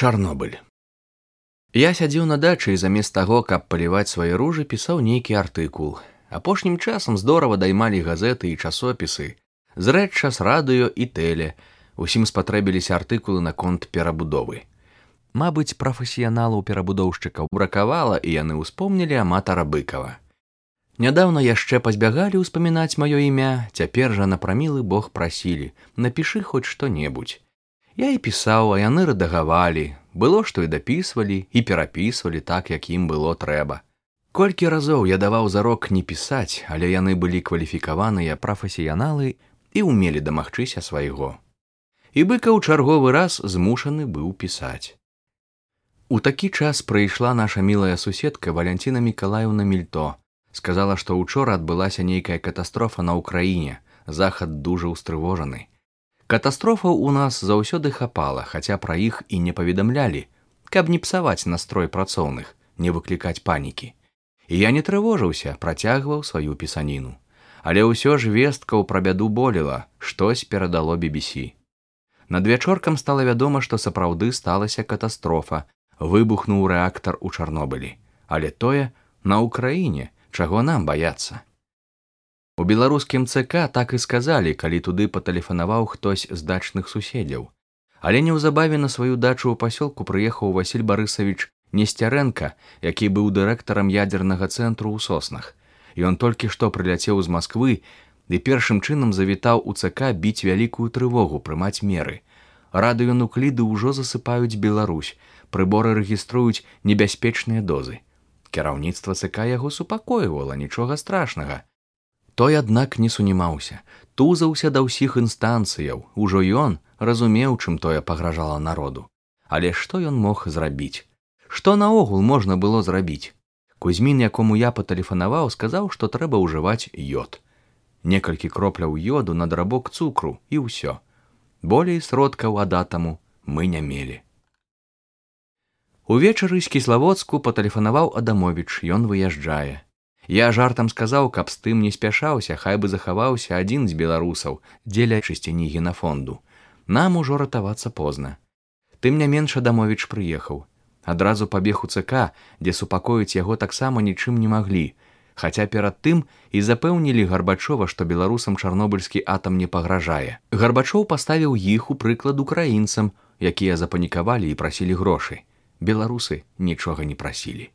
Чарнобыль. Я сядзеў на дачы і замест таго, каб паліваць свае ружы, пісаў нейкі артыкул. Апошнім часам здорава даймалі газеты і часопісы, зрэдча з радыё і тэле. Усім спатрэбіліся артыкулы наконт перабудовы. Мабыць, прафесіяналаў-перабудоўшчыкаў бракавала, і яны ўспомнілі аматара Быкава. Нядаўна яшчэ пазбягалі ўспамінаць маё імя, цяпер жа на прамілы бог прасілі: напішы хоць што-небудзь. Я і пісаў, а яны рэдагавалі. Было, што і дапісвалі, і перапісвалі так, як ім было трэба. Колькі разоў я даваў зарок не пісаць, але яны былі кваліфікаваныя прафесіяналы і ўмелі дамагчыся свайго. І Быкаў чарговы раз змушаны быў пісаць. У такі час прыйшла наша мілая суседка Валянціна Мікалаеўна Мільто. Сказала, што учора адбылася нейкая катастрофа на ўкраіне, захад дужа ўстрывожаны. Катастрофаў у нас заўсёды хапала, хаця пра іх і не паведамлялі, каб не псаваць настрой працоўных, не выклікаць панікі. І я не трывожыўся, працягваў сваю пісаніну. Але ўсё ж весткаў пра бяду болела, штось перадало BBC. Надвячоркам стала вядома, што сапраўды сталася катастрофа, выбухнуў рэактар у Чарнобылі. Але тое на ўкраіне, чаго нам баяцца. У беларускім ЦК так і сказалі, калі туды патэлефанаваў хтось з дачных суседзяў. Але неўзабаве на сваю дачу ў пасёлку прыехаў Васіль Барысавіч Несцярэнка, які быў дырэктарам ядзернага цэнтру ў Соснах. Ён толькі што прыляцеў з Масквы і першым чынам завітаў у ЦК біць вялікую трывогу, прымаць меры. Радыёнукліды ўжо засыпаюць Беларусь, прыборы рэгіструюць небяспечныя дозы. Кіраўніцтва ЦК яго супакойвала, нічога страшнага. Той, аднак, не сунімаўся, тузаўся да ўсіх інстанцыяў. Ужо ён разумеў, чым тое пагражала народу. Але што ён мог зрабіць? Што наогул можна было зрабіць? Кузьмін, якому я патэлефанаваў, сказаў, што трэба ўжываць ёд. Некалькі кропляў ёду на драбок цукру і ўсё. Болей сродкаў ад атаму мы не мелі. Увечары з Кіславодску патэлефанаваў Адамовіч, ён выязджае. Я жартам сказаў, каб з тым не спяшаўся, хай бы захаваўся адзін з беларусаў дзеля чысціні генафонду. Нам ужо ратавацца позна. Тым не менш Адамовіч прыехаў. Адразу пабег у ЦК, дзе супакоіць яго таксама нічым не маглі, хаця перад тым і запэўнілі Гарбачова, што беларусам чарнобыльскі атам не пагражае. Гарбачоў паставіў іх у прыклад украінцам, якія запанікавалі і прасілі грошы. Беларусы нічога не прасілі.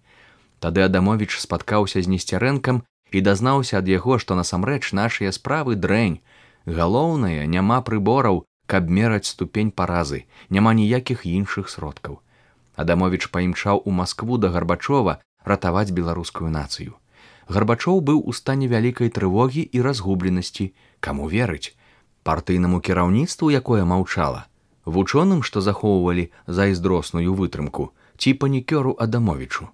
Тады Адамовіч спаткаўся з Несцярэнкам і дазнаўся ад яго, што насамрэч нашыя справы дрэнь. Галоўнае, няма прыбораў, каб мераць ступень паразы, няма ніякіх іншых сродкаў. Адамовіч паімчаў у Маскву да Гарбачова ратаваць беларускую нацыю. Гарбачоў быў у стане вялікай трывогі і разгубленасці. Каму верыць? Партыйнаму кіраўніцтву, якое маўчала? Вучоным, што захоўвалі зайздросную вытрымку, ці панікёру Адамовічу?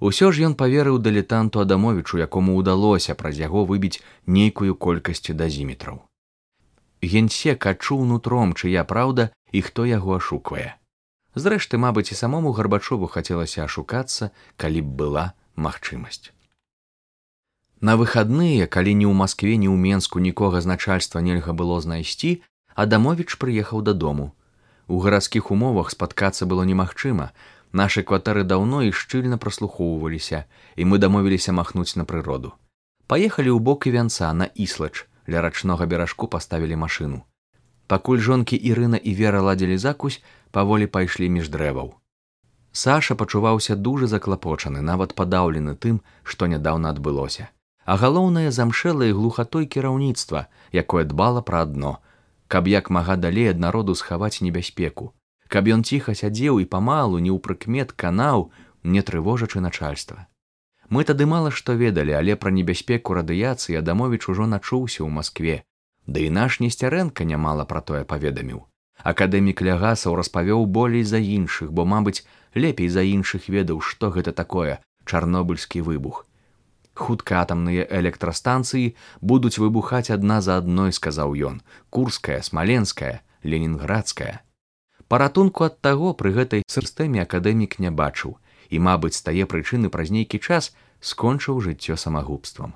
Усё ж ён паверыў дылетанту Адамовічу, якому ўдалося праз яго выбіць нейкую колькасць дазіметраў. Генсек адчуў нутром, чыя праўда і хто яго ашуквае. Зрэшты, мабыць, і самому Гарбачову хацелася ашукацца, калі б была магчымасць. На выхадныя, калі ні ў Маскве, ні ў Менску нікога з начальства нельга было знайсці, Адамовіч прыехаў дадому. У гарадскіх умовах спаткацца было немагчыма. Нашы кватэры даўно і шчыльна праслухоўваліся, і мы дамовіліся махнуць на прыроду. Паехалі ў бок Івянца, на Іслач, ля рачнога беражку паставілі машыну. Пакуль жонкі Ірына і Вера ладзілі закусь, паволі пайшлі між дрэваў. Саша пачуваўся дужа заклапочаны, нават падаўлены тым, што нядаўна адбылося. А галоўнае, замшэлае глухатой кіраўніцтва, якое дбала пра адно, каб як мага далей ад народу схаваць небяспеку, каб ён ціха сядзеў і памалу, не ў прыкмет канаў, не трывожачы начальства. Мы тады мала што ведалі, але пра небяспеку радыяцыі Адамовіч ужо начуўся ў Маскве. Ды і наш Несцярэнка нямала пра тое паведаміў. Акадэмік Лягасаў распавёў болей за іншых, бо, мабыць, лепей за іншых ведаў, што гэта такое чарнобыльскі выбух. Хутка атамныя электрастанцыі будуць выбухаць адна за адной, сказаў ён. Курская, Смаленская, Ленінградская. Паратунку ад таго пры гэтай сістэме акадэмік не бачыў і, мабыць, з тае прычыны праз нейкі час скончыў жыццё самагубствам.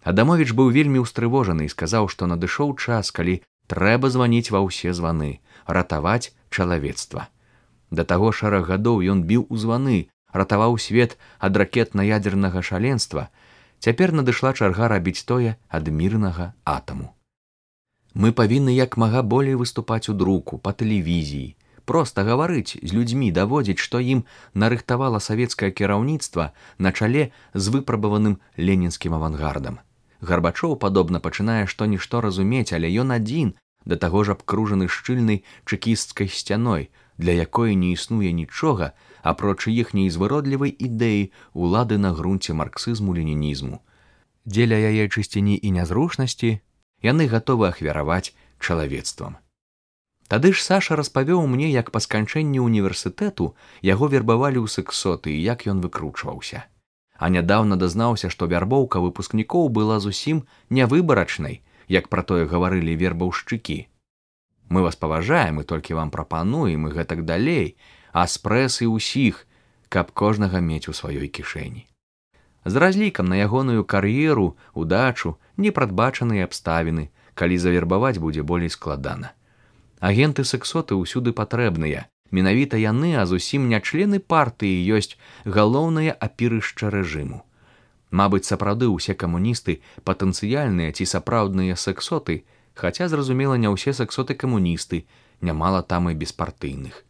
Адамовіч быў вельмі ўстрывожаны і сказаў, што надышоў час, калі трэба званіць ва ўсе званы, ратаваць чалавецтва. Да таго шэраг гадоў ён біў у званы, ратаваў свет ад ракетна-ядзернага шаленства. Цяпер надышла чарга рабіць тое ад мірнага атаму. Мы павінны як мага болей выступаць у друку, па тэлевізіі, проста гаварыць з людзьмі, даводзіць, што ім нарыхтавала савецкае кіраўніцтва на чале з выпрабаваным ленінскім авангардам. Гарбачоў, падобна, пачынае што-нішто разумець, але ён адзін, да таго ж абкружаны шчыльнай чэкісцкай сцяной, для якой не існуе нічога, апроч іхняй звыродлівай ідэі улады на грунце марксізму-ленінізму. Дзеля яе чысціні і нязручнасці яны гатовы ахвяраваць чалавецтвам. Тады ж Саша распавёў мне, як па сканчэнні універсітэту яго вербавалі ў сексоты і як ён выкручваўся. А нядаўна дазнаўся, што вярбоўка выпускнікоў была зусім нявыбарачнай, як пра тое гаварылі вербаўшчыкі. Мы вас паважаем, і толькі вам прапануем, і гэтак далей, а спрэсы ўсіх, каб кожнага мець у сваёй кішэні. З разлікам на ягоную кар'еру, удачу, непрадбачаныя абставіны, калі завербаваць будзе болей складана. Агенты-сексоты ўсюды патрэбныя. Менавіта яны, а зусім не члены партыі, ёсць галоўнае апірышча рэжыму. Мабыць, сапраўды ўсе камуністы патэнцыяльныя ці сапраўдныя сексоты, хаця, зразумела, не ўсе сексоты-камуністы, нямала там і беспартыйных.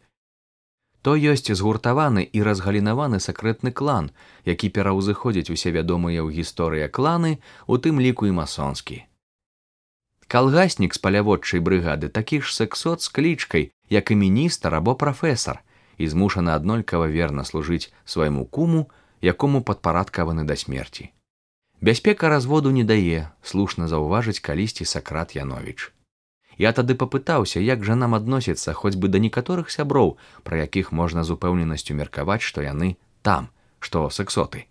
То ёсць згуртаваны і разгалінаваны сакрэтны клан, які пераўзыходзіць усе вядомыя ў гісторыі кланы, у тым ліку і масонскі. Калгаснік з паляводчай брыгады такі ж сексот з клічкай, як і міністр або прафесар, і змушаны аднолькава верна служыць свайму куму, якому падпарадкаваны да смерці. Бяспека разводу не дае, слушна заўважыць калісьці Сакрат Яновіч. Я тады папытаўся, як жа нам адносіцца хоць бы да некаторых сяброў, пра якіх можна з упэўненасцю меркаваць, што яны там, што сексоты.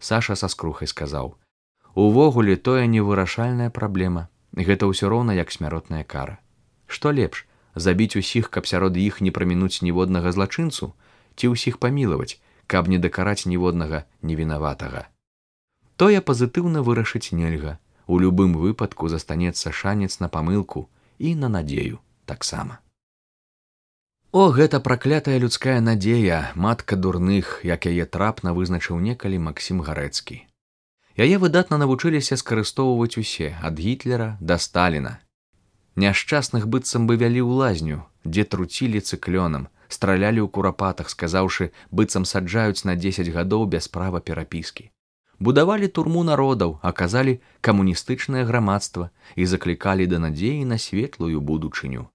Саша са скрухай сказаў: увогуле тое невырашальная праблема. Гэта ўсё роўна як смяротная кара. Што лепш, забіць усіх, каб сярод іх не прамінуць ніводнага злачынцу, ці ўсіх памілаваць, каб не дакараць ніводнага невінаватага. Тое пазітыўна вырашыць нельга. У любым выпадку застанецца шанец на памылку і на надзею таксама. О, гэта праклятая людская надзея, матка дурных, як яе трапна вызначыў некалі Максім Гарэцкі. Яе выдатна навучыліся скарыстоўваць усе, ад Гітлера да Сталіна. Няшчасных быццам бы вялі ў лазню, дзе труцілі цыклёнам, стралялі ў курапатах, сказаўшы, быццам саджаюць на 10 гадоў без права перапіскі. Будавалі турму народаў, аказалі камуністычнае грамадства і заклікалі да надзеі на светлую будучыню.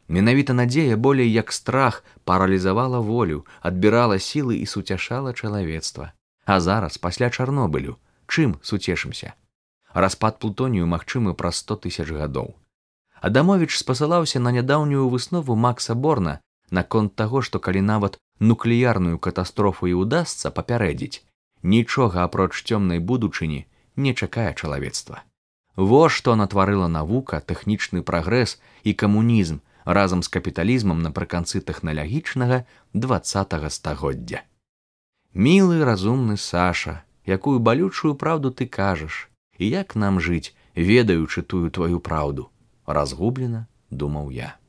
Менавіта надзея болей як страх паралізавала волю, адбірала сілы і суцяшала чалавецтва. А зараз, пасля Чарнобылю, чым суцешымся? Распад плутонію магчымы праз 100 000 гадоў. Адамовіч спасылаўся на нядаўнюю выснову Макса Борна наконт таго, што калі нават нуклеарную катастрофу і ўдасца папярэдзіць, нічога апроч цёмнай будучыні не чакае чалавецтва. Во што натварыла навука, тэхнічны прагрэс і камунізм разам з капіталізмам напрыканцы тэхналагічнага 20-го стагоддзя. Мілы, разумны Саша, якую балючую праўду ты кажаш, і як нам жыць, ведаючы тую тваю праўду, разгублена думаў я.